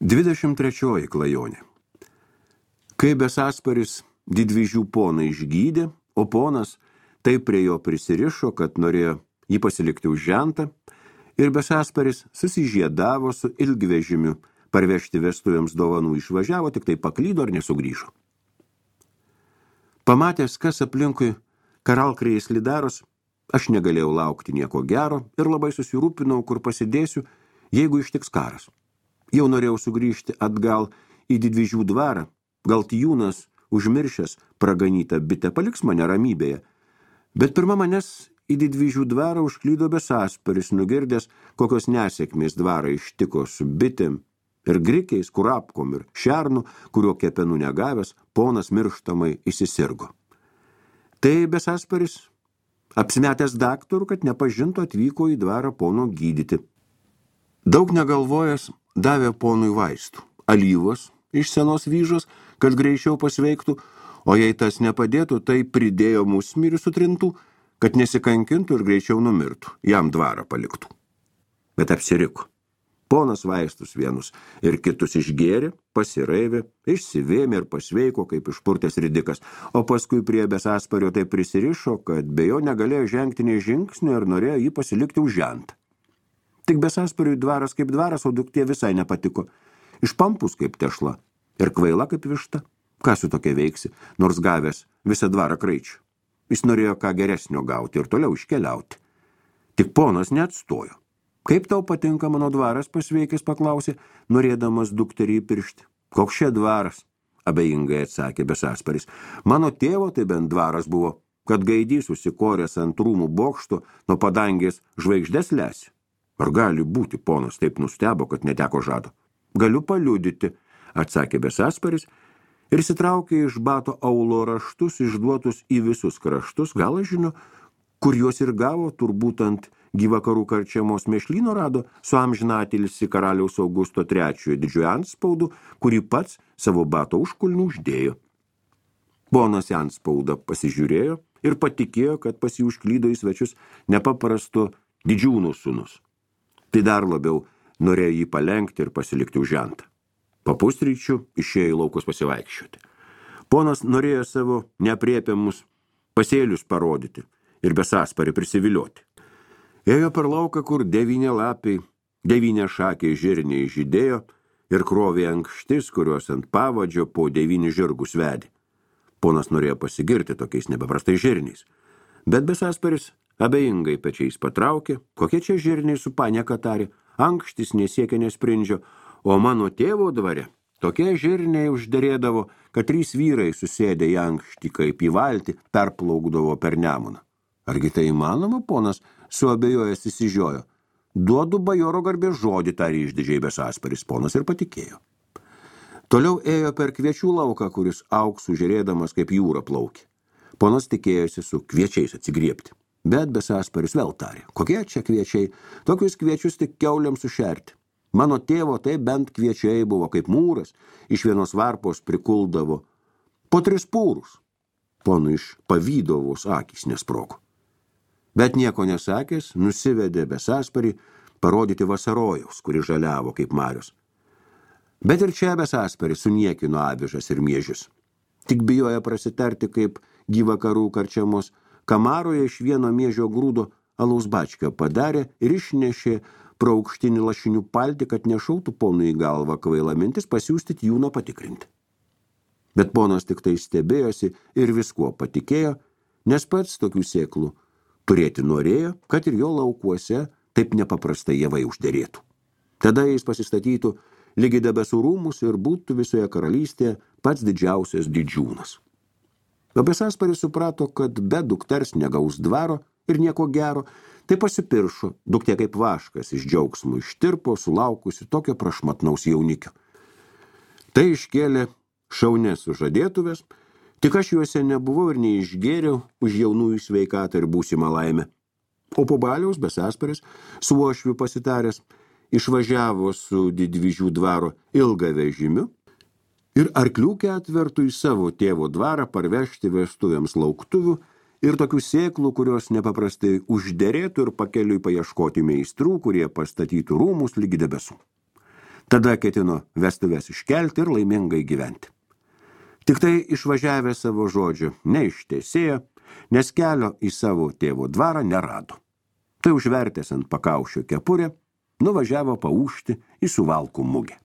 23 klajonė. Kai Besasparis didvyžių poną išgydė, o ponas taip prie jo prisirišo, kad norėjo jį pasilikti už žentą, ir Besasparis susižiedavo su ilgvežimiu, parvežti vestuvėms dovanų išvažiavo, tik tai paklydo ir nesugrįžo. Pamatęs, kas aplinkui karalkrėjais lidaros, aš negalėjau laukti nieko gero ir labai susirūpinau, kur pasidėsiu, jeigu ištiks karas. Jau norėjau sugrįžti atgal į didvyžių dvarą, gal Tijūnas, užmiršęs praganytą bitę, paliks mane ramybėje. Bet pirma manęs į didvyžių dvarą užklydo Besasparis, nugirdęs, kokios nesėkmės dvarą ištiko su bitėm ir grikiais, kurapkom ir šernu, kurio kepenų negavęs, ponas mirštamai įsisirgo. Tai Besasparis, apsimetęs daktaru, kad nepažintų, atvyko į dvarą pono gydyti. Daug negalvojęs, davė ponui vaistų, alyvos iš senos vyžos, kad greičiau pasveiktų, o jei tas nepadėtų, tai pridėjo musmirių sutrintų, kad nesikankintų ir greičiau numirtų, jam dvarą paliktų. Bet apsiriko. Ponas vaistus vienus ir kitus išgėrė, pasiraivė, išsivėmė ir pasveiko, kaip išpurtęs ridikas, o paskui prie Besaspario taip prisirišo, kad be jo negalėjo žengti nei žingsnio ir norėjo jį pasilikti už žentą. Tik Besaspariui dvaras kaip dvaras, o duktė visai nepatiko. Išpampus kaip tešla ir kvaila kaip višta. Ką su tokia veiksi, nors gavęs visą dvarą kraičių. Jis norėjo ką geresnio gauti ir toliau iškeliauti. Tik ponas neatstojo. Kaip tau patinka mano dvaras, pasveikęs paklausė, norėdamas dukterį įpiršti. Koks čia dvaras, abejingai atsakė Besasparis. Mano tėvo tai bent dvaras buvo, kad gaidys susikoręs ant rūmų bokšto nuo padangės žvaigždes lesi. Ar gali būti, ponas taip nustebo, kad neteko žado? Galiu paliudyti, atsakė Besasparis ir sitraukė iš bato aulo raštus, išduotus į visus kraštus, gal aš žinau, kur juos ir gavo, turbūt ant Gyvakarų karčiamos mėšlyno rado su amžinatilsi karaliaus Augusto III didžiojo antspaudu, kurį pats savo bato užkulnių uždėjo. Ponas antspaudą pasižiūrėjo ir patikėjo, kad pas jį užklydo į svečius nepaprasto didžiūnų sūnus. Tai dar labiau norėjo jį palenkti ir pasilikti už žentą. Po pusryčių išėjo į laukus pasivaikščioti. Ponas norėjo savo neaprėpiamus pasėlius parodyti ir Besasparį prisivilioti. Ėjo per lauką, kur 9 lapiai, 9 šakiai žirniai žydėjo ir krovė ankštis, kurios ant pavadžio po 9 žirgus vedė. Ponas norėjo pasigirti tokiais nepaprastais žirniais, bet Besasparis abejingai pečiais patraukė, kokie čia žirniai su panieka tarė, ankštis nesiekia nesprindžio, o mano tėvo dvare tokie žirniai užderėdavo, kad 3 vyrai susėdę į ankštį kaip į valtį perplaukdavo per Nemuną. Argi tai įmanoma, ponas suabejojęs įsižiojo. Duodu bajoro garbės žodį, tarė išdidžiai Besasparis, ponas ir patikėjo. Toliau ėjo per kviečių lauką, kuris auksų žėrėdamas kaip jūra plaukė. Ponas tikėjosi su kviečiais atsigriebti. Bet Besasparis vėl tarė, kokie čia kviečiai, tokius kviečius tik kiauliams sušerti. Mano tėvo tai bent kviečiai buvo kaip mūras, iš vienos varpos prikuldavo po 3 pūrus. Ponui iš pavydovos akys nesprogo. Bet nieko nesakęs, nusivedė Besasparį parodyti vasarojaus, kuri žaliavo kaip marius. Bet ir čia Besasparis suniekino avižas ir miežius. Tik bijoja prasitarti, kaip Gyvakarų karčiamos kamaroje iš vieno miežio grūdo alaus bačką padarė ir išnešė pro aukštinį lašinių paltį, kad nešautų ponui į galvą kvaila mintis pasiųsti Tijūną patikrinti. Bet ponas tik tai stebėjosi ir viskuo patikėjo, nes pats tokių sėklų turėti norėjo, kad ir jo laukuose taip nepaprastai javai užderėtų. Tada jis pasistatytų lygi debesų rūmus ir būtų visoje karalystėje pats didžiausias didžiūnas. O Besasparis suprato, kad be dukters negaus dvaro ir nieko gero, tai pasipiršo, duktė kaip vaškas iš džiaugsmų ištirpo, sulaukusi tokio prašmatnaus jaunikio. Tai iškėlė šaunės sužadėtuvės, tik aš juose nebuvau ir neišgėriau už jaunųjų sveikatą ir būsimą laimę. O po baliaus Besasparis, su uošviu pasitaręs, išvažiavo su didvyžių dvaro ilgą vežimiu ir arklių ketvertų į savo tėvo dvarą parvežti vestuvėms lauktuvių ir tokių sėklų, kurios nepaprastai užderėtų ir pakeliui paieškoti meistrų, kurie pastatytų rūmus lygi debesų. Tada ketino vestuves iškelti ir laimingai gyventi. Tik tai išvažiavę savo žodžio neištesėjo, nes kelio į savo tėvo dvarą nerado. Tai užvertęs ant pakaušio kepurę, nuvažiavo paūžti į Suvalkų mugę.